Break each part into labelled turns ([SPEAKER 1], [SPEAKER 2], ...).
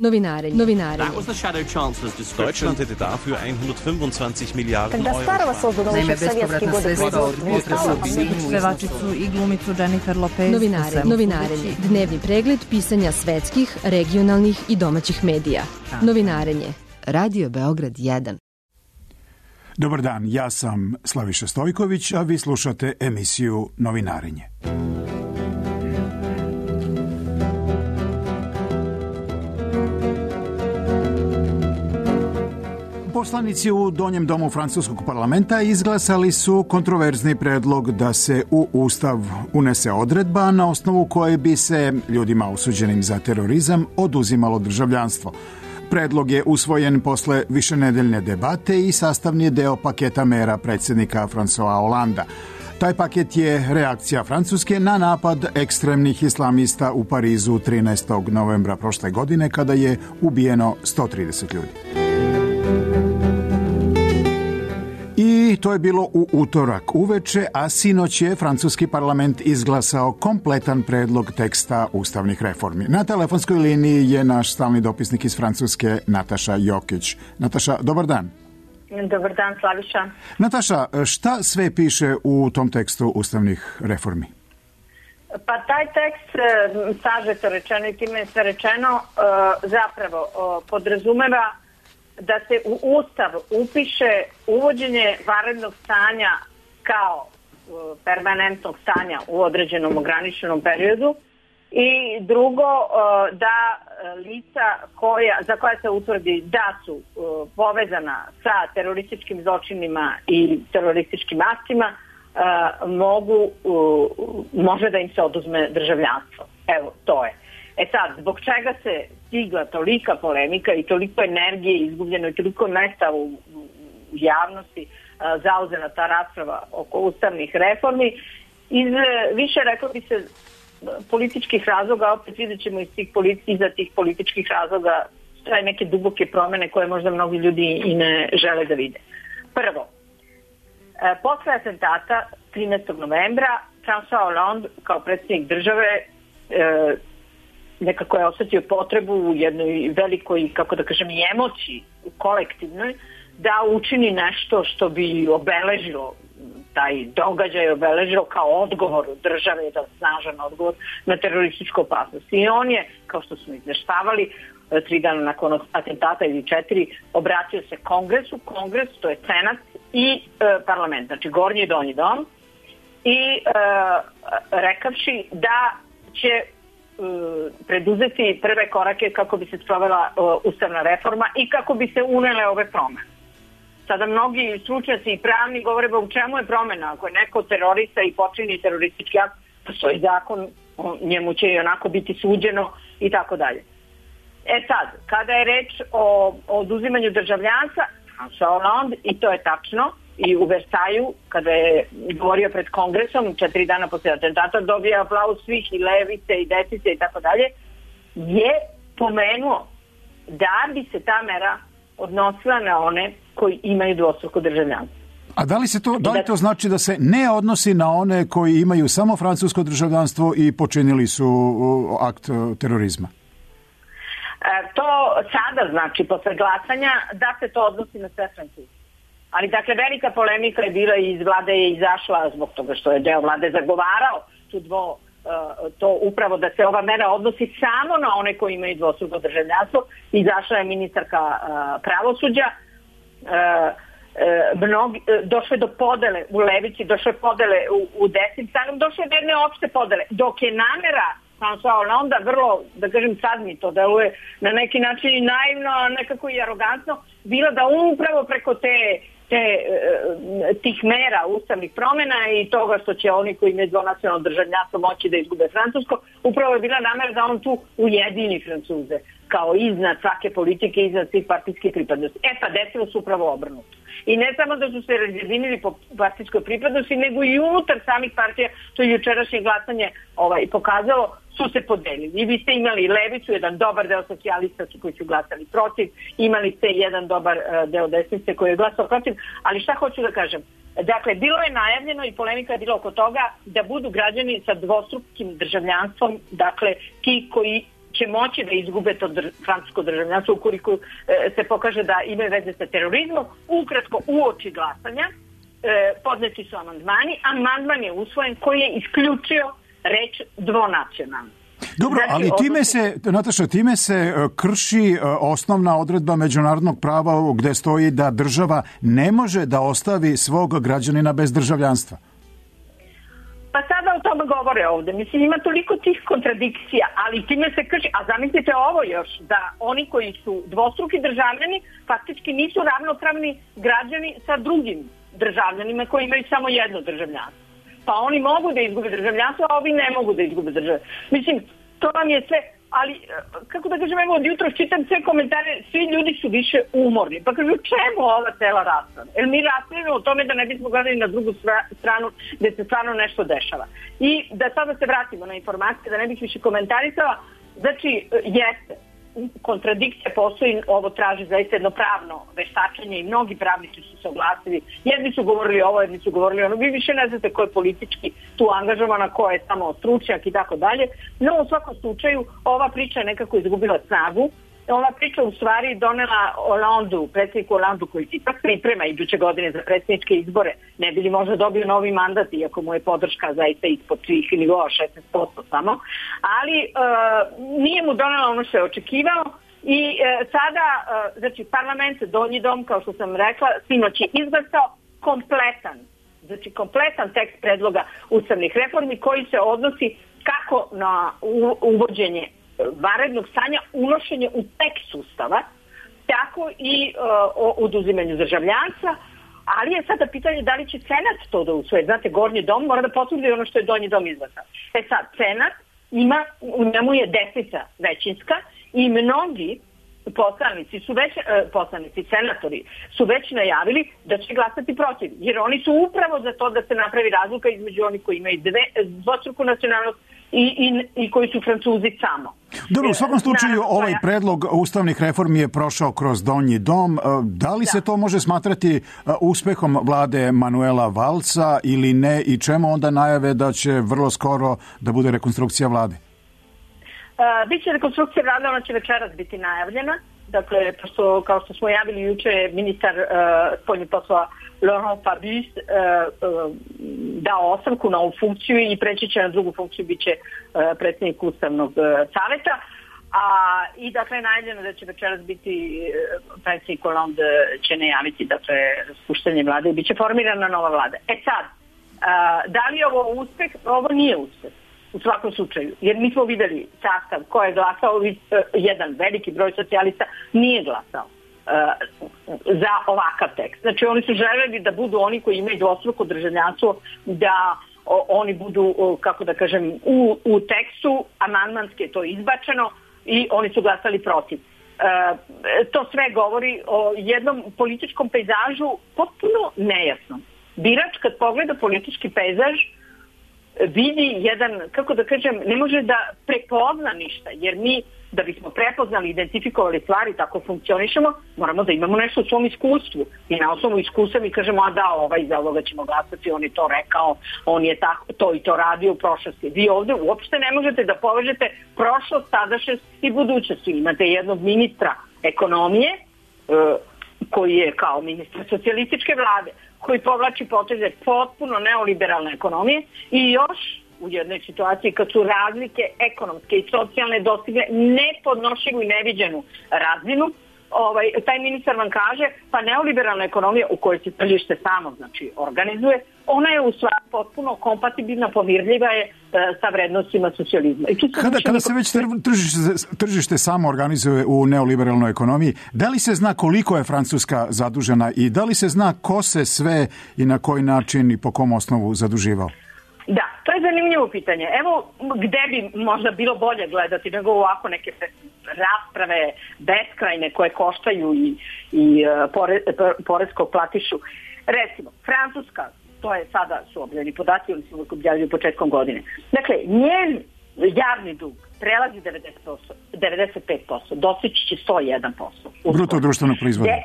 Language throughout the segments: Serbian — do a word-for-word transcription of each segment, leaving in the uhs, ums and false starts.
[SPEAKER 1] Novinarenje. Novinarenje.
[SPEAKER 2] Deutschland hätte dafür hundertfünfundzwanzig Milliarden Euro.
[SPEAKER 3] Naime, bespovratna sredstva od Vutra pevačicu i glumicu Jennifer Lopez.
[SPEAKER 1] Novinarenje. Novinarenje. Dnevni pregled pisanja svetskih, regionalnih i domaćih medija. Novinarenje. Radio Beograd jedan.
[SPEAKER 4] Dobar dan, ja sam Slaviša Stojković, a vi slušate emisiju Novinarenje. Poslanici u Donjem domu francuskog parlamenta izglasali su kontroverzni predlog da se u Ustav unese odredba na osnovu koje bi se ljudima osuđenim za terorizam oduzimalo državljanstvo. Predlog je usvojen posle višenedeljne debate i sastavni je deo paketa mera predsjednika François Hollanda. Taj paket je reakcija Francuske na napad ekstremnih islamista u Parizu trinaestog novembra prošle godine kada je ubijeno sto trideset ljudi. I to je bilo u utorak uveče, a sinoć je francuski parlament izglasao kompletan predlog teksta ustavnih reformi. Na telefonskoj liniji je naš stalni dopisnik iz Francuske, Nataša Jokić. Nataša, dobar dan.
[SPEAKER 5] Dobar dan, Slaviša.
[SPEAKER 4] Nataša, šta sve piše u tom tekstu ustavnih reformi?
[SPEAKER 5] Pa taj tekst, sažeto rečeno i time je sve rečeno, zapravo podrazumeva da se u Ustav upiše uvođenje vanrednog stanja kao permanentnog stanja u određenom ograničenom periodu i drugo da lica koja, za koja se utvrdi da su povezana sa terorističkim zločinima i terorističkim aktima mogu, može da im se oduzme državljanstvo. Evo, to je. E sad, zbog čega se stigla tolika polemika i toliko energije izgubljeno i toliko mesta u, u javnosti a, zauzela ta rasprava oko ustavnih reformi, iz više, reklo bi se, političkih razloga, opet vidjet ćemo iz tih politi- iza tih političkih razloga stoje neke duboke promene koje možda mnogi ljudi i ne žele da vide. Prvo, e, posle atentata trinaestog novembra François Hollande kao predsjednik države e, nekako je osjetio potrebu u jednoj velikoj, kako da kažem, i emociji kolektivnoj, da učini nešto što bi obeležilo taj događaj, obeležilo kao odgovor države, da snažan odgovor na terorističku opasnost. I on je, kao što smo izveštavali, tri dana nakon atentata ili četiri, obratio se kongresu, kongres, to je senat i e, parlament, znači gornji i donji dom, i e, rekavši da će preduzeti prve korake kako bi se sprovela uh, ustavna reforma i kako bi se unele ove promene. Sada mnogi stručnjaci i pravni govore ba u čemu je promena. Ako je neko terorista i počini teroristički akt, postoji zakon, njemu će i onako biti suđeno i tako dalje. E sad, kada je reč o, o oduzimanju državljanstva, François Hollande, i to je tačno, i u Versaju, kada je govorio pred kongresom, četiri dana posle atentata, dobio aplauz svih i levice i desice i tako dalje, je pomenuo da bi se ta mera odnosila na one koji imaju dvostruko državljanstvo.
[SPEAKER 4] A da li se to, da li to znači da se ne odnosi na one koji imaju samo francusko državljanstvo i počinili su akt terorizma?
[SPEAKER 5] E, to sada znači, posle glasanja, da se to odnosi na sve Francuze. Ali, dakle, velika polemika je bila i iz vlade je izašla zbog toga što je deo vlade zagovarao tu dvo, to upravo da se ova mera odnosi samo na one koji imaju dvostruko državljanstvo. Izašla je ministarka pravosuđa. Mnogi, došlo je do podele u levici, došlo je podele u, u desnim stranom, došlo je do jedne opšte podele. Dok je namera François Hollande vrlo, da kažem sad mi to deluje na neki način i naivno, nekako i arogantno, bila da upravo preko te te, tih mera ustavnih promjena i toga što će oni koji imaju dvonacionalno državljanstvo moći da izgube francusko, upravo je bila namera da on tu ujedini Francuze kao iznad svake politike, iznad svih partijskih pripadnosti. E pa desilo se upravo obrnuto. I ne samo da su se razjedinili po partijskoj pripadnosti, nego i unutar samih partija, to je jučerašnje glasanje ovaj, pokazalo, su se podelili. I vi ste imali levicu, jedan dobar deo socijalista koji su glasali protiv, imali ste jedan dobar deo desnice koji je glasao protiv, ali šta hoću da kažem? Dakle, bilo je najavljeno i polemika je bila oko toga da budu građani sa dvostrukim državljanstvom, dakle, ti koji će moći da izgube to dr- francusko državljanstvo ukoliko e, se pokaže da imaju veze sa terorizmom. Ukratko, uoči glasanja e, podneti su amandmani. Amandman je usvojen koji je isključio reč dvonacionalno.
[SPEAKER 4] Dobro, znači, ali time se, Nataša, time se krši osnovna odredba međunarodnog prava gde stoji da država ne može da ostavi svog građanina bez državljanstva.
[SPEAKER 5] Pa sada o tome govore ovde. Mislim, ima toliko tih kontradikcija, ali time se krši. A zamislite ovo još, da oni koji su dvostruki državljani faktički nisu ravnopravni građani sa drugim državljanima koji imaju samo jedno državljanstvo. Pa oni mogu da izgube državljanstvo, a ovi ne mogu da izgube državljanstvo. Mislim, to vam je sve, ali kako da kažem, evo od jutra čitam sve komentare, svi ljudi su više umorni. Pa kažu, čemu ova cela rasprava? Jer mi raspravljamo o tome da ne bismo gledali na drugu stranu gde se stvarno nešto dešava. I da sada se vratimo na informacije, da ne bih više komentarisala, znači, jeste, kontradikcija postoji, ovo traži zaista jedno pravno veštačenje i mnogi pravnici su se oglasili. Jedni su govorili ovo, jedni su govorili ono. Vi više ne znate ko je politički tu angažovana, ko je samo stručnjak i tako dalje. No, u svakom slučaju, ova priča je nekako izgubila snagu. Ova priča u stvari donela Hollandu, predsjedniku Hollandu koji se ipak priprema iduće godine za predsjedničke izbore, ne bi li možda dobio novi mandat, iako mu je podrška zaista ispod svih nivoa, šesnaest posto samo, ali e, nije mu donela ono što je očekivao i e, sada, e, znači parlament, donji dom, kao što sam rekla, sinoć je izglasao kompletan, znači kompletan tekst predloga ustavnih reformi koji se odnosi kako na uvođenje vanrednog stanja, unošenje u tekst ustava, tako i uh, o oduzimanju državljanstva, ali je sada pitanje da li će Senat to da usvoje. Znate, gornji dom mora da potvrdi ono što je donji dom izglasao. E sad, Senat ima, u njemu je desnica većinska i mnogi poslanici su već, uh, poslanici, senatori su već najavili da će glasati protiv, jer oni su upravo za to da se napravi razlika između onih koji imaju dve, dvostruku nacionalnost I, i, i koji su Francuzi samo.
[SPEAKER 4] Dobro, u svakom slučaju ovaj predlog ustavnih reformi je prošao kroz donji dom. Da li da. se to može smatrati uspehom vlade Manuela Valca ili ne i čemu onda najave da će vrlo skoro da bude rekonstrukcija vlade?
[SPEAKER 5] Uh, biće rekonstrukcija vlade, ona će večeras biti najavljena. Dakle, pošto, kao što smo javili juče, ministar uh, spoljnih poslova Laurent Fabius uh, uh, dao ostavku na ovu funkciju i preći će na drugu funkciju, bit će uh, predsjednik Ustavnog uh, savjeta. A, I dakle, najavljeno da će večeras biti uh, predsjednik Hollande će najaviti dakle, raspuštanje vlade i bit će formirana nova vlada. E sad, uh, da li je ovo uspeh? Ovo nije uspeh. U svakom slučaju, jer mi smo videli sastav ko je glasao, jedan veliki broj socijalista nije glasao uh, za ovakav tekst. Znači oni su želeli da budu oni koji imaju dvostruko državljanstvo, da o, oni budu, o, kako da kažem, u, u tekstu, amandmanski je to izbačeno i oni su glasali protiv. Uh, to sve govori o jednom političkom pejzažu potpuno nejasnom. Birač kad pogleda politički pejzaž vidi jedan, kako da kažem, ne može da prepozna ništa, jer mi da bismo prepoznali, identifikovali stvari, tako funkcionišemo, moramo da imamo nešto u svom iskustvu i na osnovu iskustva mi kažemo, a da, ovaj za ovoga ćemo glasati, on je to rekao, on je tako, to i to radio u prošlosti. Vi ovdje uopšte ne možete da povežete prošlost, sadašnjost i budućnost. Imate jednog ministra ekonomije koji je kao ministar socijalističke vlade, koji povlači poteze potpuno neoliberalne ekonomije i još u jednoj situaciji kad su razlike ekonomske i socijalne dostigle nepodnošljivu i neviđenu razinu, ovaj, taj ministar vam kaže pa neoliberalna ekonomija u kojoj se tržište samo znači, organizuje, ona je u stvari potpuno kompatibilna, pomirljiva je e, sa vrednostima socijalizma. I
[SPEAKER 4] kada kada se već tržište, tržište samo organizuje u neoliberalnoj ekonomiji, da li se zna koliko je Francuska zadužena i da li se zna ko se sve i na koji način i po kom osnovu zaduživao?
[SPEAKER 5] Da, to je zanimljivo pitanje. Evo gde bi možda bilo bolje gledati nego ovako neke rasprave beskrajne koje koštaju i, i pore, poreskog platišu. Recimo, Francuska, to je sada su objavljeni podaci, oni su objavljeni početkom godine. Dakle, njen javni dug prelazi devedeset posto, devedeset pet posto, dostići će sto jedan posto.
[SPEAKER 4] Bruto društvenog proizvoda.
[SPEAKER 5] De,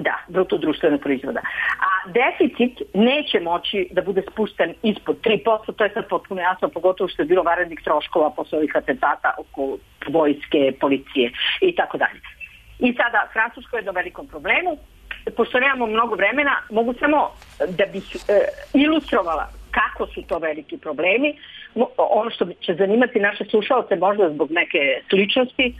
[SPEAKER 5] da, bruto društvenog proizvoda. A deficit neće moći da bude spušten ispod tri posto, to je sad potpuno jasno, pogotovo što je bilo vanrednih troškova posle ovih atentata oko vojske, policije i tako dalje. I sada Francuska je do velikom problemu. Pošto nemamo mnogo vremena, mogu samo da bih e, ilustrovala kako su to veliki problemi. Ono što će zanimati naše slušalce možda zbog neke sličnosti, e,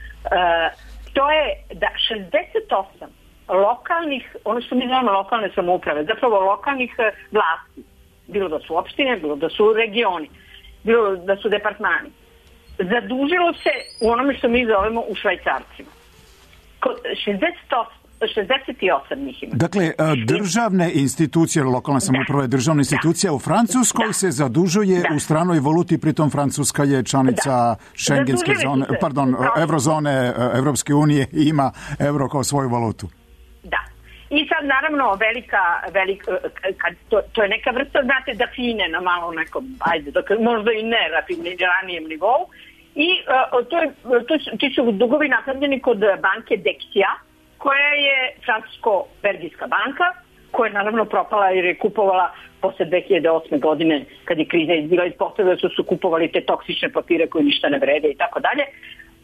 [SPEAKER 5] to je da šezdeset osam lokalnih, ono što mi znamo lokalne samouprave, zapravo lokalnih vlasti, bilo da su opštine, bilo da su regioni, bilo da su departmani, zadužilo se u onome što mi zovemo u švajcarcima. šezdeset osam njih ima.
[SPEAKER 4] Dakle, državne institucije, lokalna samouprava je državna institucija da. U Francuskoj da. Se zadužuje da. U stranoj valuti, pritom Francuska je članica da. Šengenske zone, pardon, evrozone Evropske unije i ima euro kao svoju valutu.
[SPEAKER 5] Da. I sad naravno velika, velika kad, to, to je neka vrsta, znate, da fine na malo nekom, ajde, dok, možda i ne ranijem nivou. I uh, to je, to, ti su dugovi napravljeni kod banke Dexia, koja je francusko-belgijska banka, koja je naravno propala jer je kupovala posle dve hiljade osme godine, kad je kriza izbila iz potrebe, su su kupovali te toksične papire koje ništa ne vrede i tako dalje.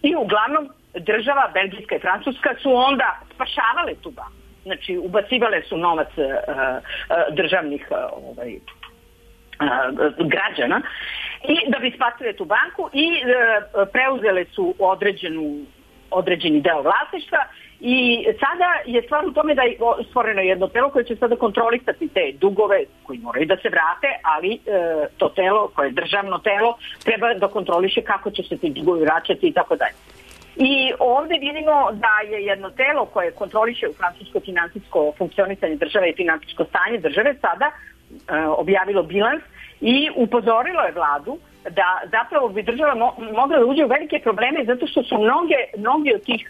[SPEAKER 5] I uglavnom država, belgijska i francuska, su onda spašavale tu banku. Znači, ubacivale su novac uh, uh, državnih uh, ovaj, uh, građana i da bi spasile tu banku i uh, preuzele su određenu, određeni deo vlasništva. I sada je stvar u tome da je stvoreno jedno telo koje će sada kontrolisati te dugove koji moraju da se vrate, ali e, to telo koje je državno telo treba da kontroliše kako će se ti dugovi vraćati i tako dalje. I ovde vidimo da je jedno telo koje kontroliše u francusko finansijsko funkcionisanje države i finansijsko stanje države sada e, objavilo bilans i upozorilo je vladu da zapravo bi država mo- mogla da uđe u velike probleme zato što su mnoge, mnogi od tih,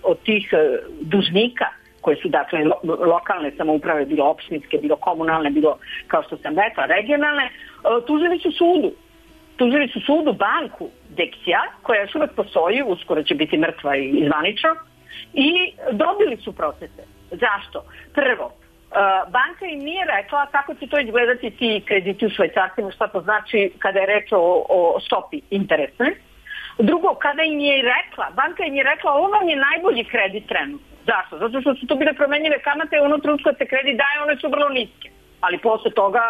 [SPEAKER 5] od tih dužnika koje su dakle lo- lokalne samouprave, bilo opštinske, bilo komunalne, bilo kao što sam rekla regionalne, tužili su sudu. Tužili su sudu banku Dexia, koja još uvek postoji, uskoro će biti mrtva i zvanično, i dobili su procese. Zašto? Prvo, Uh, banka im nije rekla kako će to izgledati ti krediti u švajcarcima, šta to znači kada je reč o, o stopi interesne. Drugo, kada im je rekla, banka im je rekla ovo vam je najbolji kredit trenutno. Zašto? Zato što su to bile promenjive kamate, ono trenutno kad se kredit daje, one su vrlo niske. Ali posle toga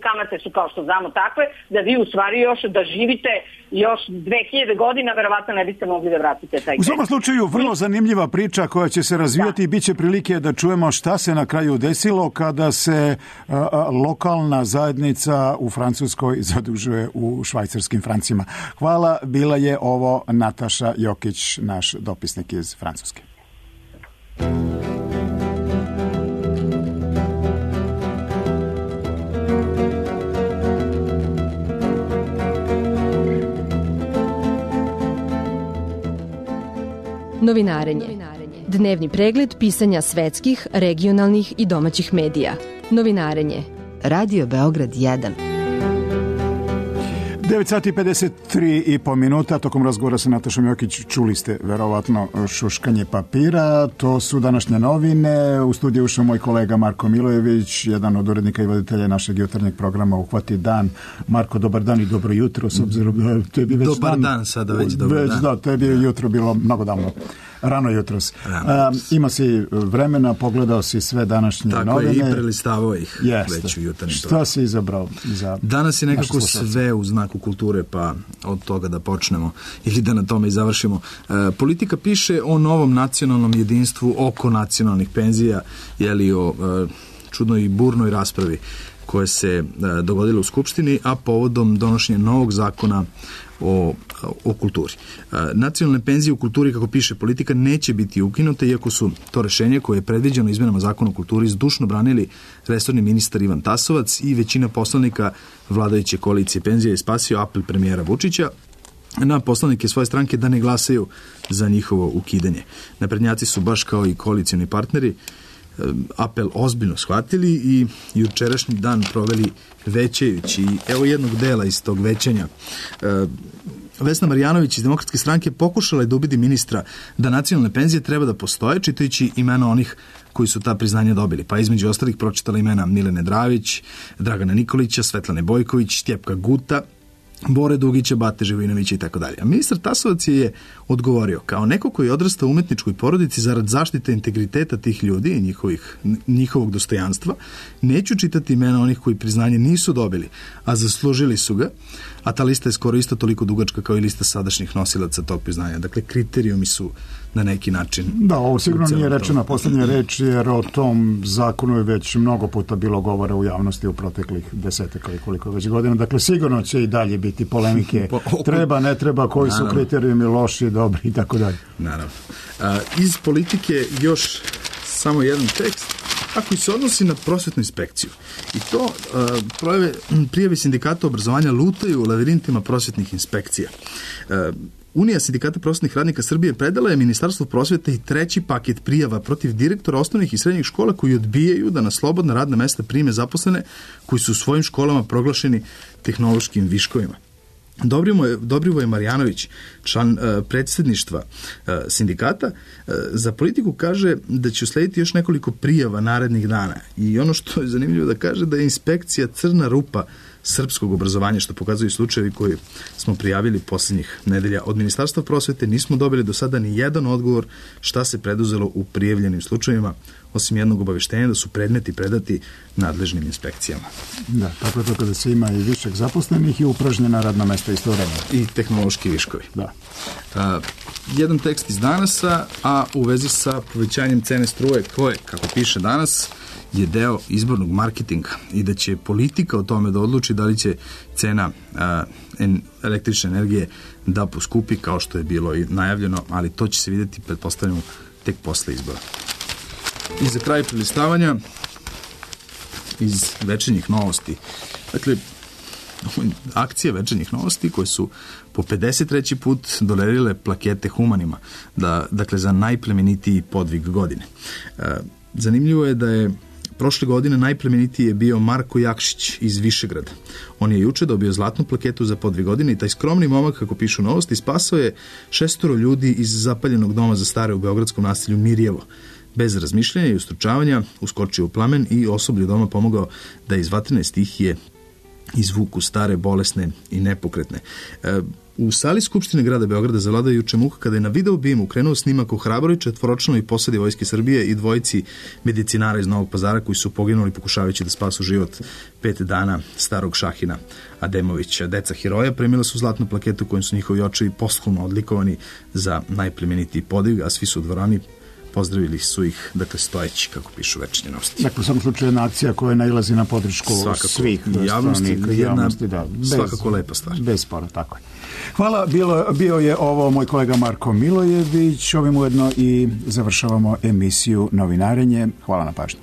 [SPEAKER 5] kamate su kao što znamo takve, da vi u stvari još da živite još dve hiljade godina, verovatno ne biste mogli da vratite taj kredit.
[SPEAKER 4] U svakom slučaju, vrlo zanimljiva priča koja će se razvijati i bit će prilike da čujemo šta se na kraju desilo kada se a, a, lokalna zajednica u Francuskoj zadužuje u švajcarskim francima. Hvala, bila je ovo Nataša Jokić, naš dopisnik iz Francuske.
[SPEAKER 1] Novinarenje. Dnevni pregled pisanja svetskih, regionalnih i domaćih medija. Novinarenje. Radio Beograd jedan.
[SPEAKER 4] devet sati pedeset tri i po minuta. Tokom razgovora sa Natašom Jokić čuli ste verovatno šuškanje papira. To su današnje novine. U studiju ušao moj kolega Marko Milojević, jedan od urednika i voditelja našeg jutarnjeg programa Uhvati dan. Marko, dobar dan i dobro jutro, s obzirom da tebi već
[SPEAKER 6] dobar
[SPEAKER 4] dan,
[SPEAKER 6] dan sada već dobar
[SPEAKER 4] već,
[SPEAKER 6] dan.
[SPEAKER 4] Da, tebi je jutro bilo mnogo davno. Rano jutros. Rano. Um, ima si vremena, pogledao si sve današnje
[SPEAKER 6] Tako
[SPEAKER 4] novine.
[SPEAKER 6] Tako je, i prelistavao ih
[SPEAKER 4] Jeste.
[SPEAKER 6] već u jutarnji
[SPEAKER 4] Šta
[SPEAKER 6] program.
[SPEAKER 4] si izabrao za
[SPEAKER 6] Danas je nekako sve u znaku kulture, pa od toga da počnemo ili da na tome i završimo. E, politika piše o novom nacionalnom jedinstvu oko nacionalnih penzija, jeli o e, čudnoj i burnoj raspravi koje se e, dogodilo u Skupštini, a povodom donošenja novog zakona o, o kulturi. E, nacionalne penzije u kulturi, kako piše politika, neće biti ukinute, iako su to rešenje koje je predviđeno izmenama zakona o kulturi zdušno branili resorni ministar Ivan Tasovac i većina poslanika vladajuće koalicije penzija je spasio apel premijera Vučića na poslanike svoje stranke da ne glasaju za njihovo ukidanje. Naprednjaci su baš kao i koalicioni partneri apel ozbiljno shvatili i jučerašnji dan proveli većajući. Evo jednog dela iz tog većanja. Vesna Marjanović iz Demokratske stranke pokušala je da ubedi ministra da nacionalne penzije treba da postoje, čitajući imena onih koji su ta priznanja dobili. Pa između ostalih pročitala imena Milene Dravić, Dragana Nikolića, Svetlane Bojković, Stjepka Guta, Bore Dugića, Bate Živinovića i tako dalje. A ministar Tasovac je odgovorio, kao neko koji odrasta u umetničkoj porodici zarad zaštite integriteta tih ljudi i njihovih, njihovog dostojanstva, neću čitati imena onih koji priznanje nisu dobili, a zaslužili su ga, a ta lista je skoro isto toliko dugačka kao i lista sadašnjih nosilaca tog priznanja. Dakle, kriterijumi su na neki način...
[SPEAKER 4] Da, ovo sigurno nije rečena poslednja reč, jer o tom zakonu je već mnogo puta bilo govora u javnosti u proteklih desetak ili koliko već godina. Dakle, sigurno će i dalje biti polemike. Treba, ne treba, koji su kriterijumi loši, dobri i tako dalje.
[SPEAKER 6] Naravno. A, iz politike još samo jedan tekst, a koji se odnosi na prosvetnu inspekciju. I to uh, projeve, prijave sindikata obrazovanja lutaju u lavirintima prosvetnih inspekcija. Uh, Unija sindikata prosvetnih radnika Srbije predala je Ministarstvu prosvete i treći paket prijava protiv direktora osnovnih i srednjih škola koji odbijaju da na slobodna radna mesta prime zaposlene koji su u svojim školama proglašeni tehnološkim viškovima. Dobrivoje Marjanović, član uh, predsjedništva uh, sindikata, uh, za politiku kaže da će uslediti još nekoliko prijava narednih dana. I ono što je zanimljivo da kaže da je inspekcija crna rupa srpskog obrazovanja, što pokazuju slučajevi koji smo prijavili posljednjih nedelja. Od Ministarstva prosvete nismo dobili do sada ni jedan odgovor šta se preduzelo u prijavljenim slučajevima, osim jednog obaveštenja da su predmeti predati nadležnim inspekcijama.
[SPEAKER 4] Da, tako je to kada se ima i višak zaposlenih i upražnjena radna mesta istovremeno.
[SPEAKER 6] I tehnološki viškovi.
[SPEAKER 4] Da.
[SPEAKER 6] A, jedan tekst iz Danasa, a u vezi sa povećanjem cene struje koje, kako piše Danas, je deo izbornog marketinga i da će politika o tome da odluči da li će cena a, en, električne energije da poskupi kao što je bilo i najavljeno, ali to će se vidjeti, pretpostavljamo, tek posle izbora. I za kraj prelistavanja iz večernjih novosti. Dakle, akcije večernjih novosti koje su po pedeset treći put dodelile plakete humanima, da, dakle za najplemenitiji podvig godine. E, zanimljivo je da je prošle godine najplemenitiji je bio Marko Jakšić iz Višegrada. On je juče dobio zlatnu plaketu za podvig godine i taj skromni momak, kako pišu novosti, spasao je šestoro ljudi iz zapaljenog doma za stare u beogradskom naselju Mirjevo. Bez razmišljanja i ustručavanja uskočio u plamen i osoblju doma pomogao da iz vatrene stihije izvuku stare, bolesne i nepokretne. E, u sali Skupštine grada Beograda zavladao juče muka kada je na video bimu krenuo snimak o hrabroj četvoročlanoj posadi Vojske Srbije i dvojici medicinara iz Novog Pazara koji su poginuli pokušavajući da spasu život pet dana starog Šahina Ademovića. Deca heroja primila su zlatnu plaketu kojom su njihovi očevi posthumno odlikovani za najplemenitiji podvig, a svi su u dvorani pozdravili su ih, dakle, stojeći, kako pišu večernje novosti.
[SPEAKER 4] Dakle, u svakom slučaju jedna akcija koja nailazi na podršku svakako, svih
[SPEAKER 6] javnosti, jedna
[SPEAKER 4] javnosti, da, bez,
[SPEAKER 6] svakako lepa stvar.
[SPEAKER 4] Bez spora, tako je. Hvala, bilo, bio je ovo moj kolega Marko Milojević, ovim ujedno i završavamo emisiju Novinarenje. Hvala na pažnju.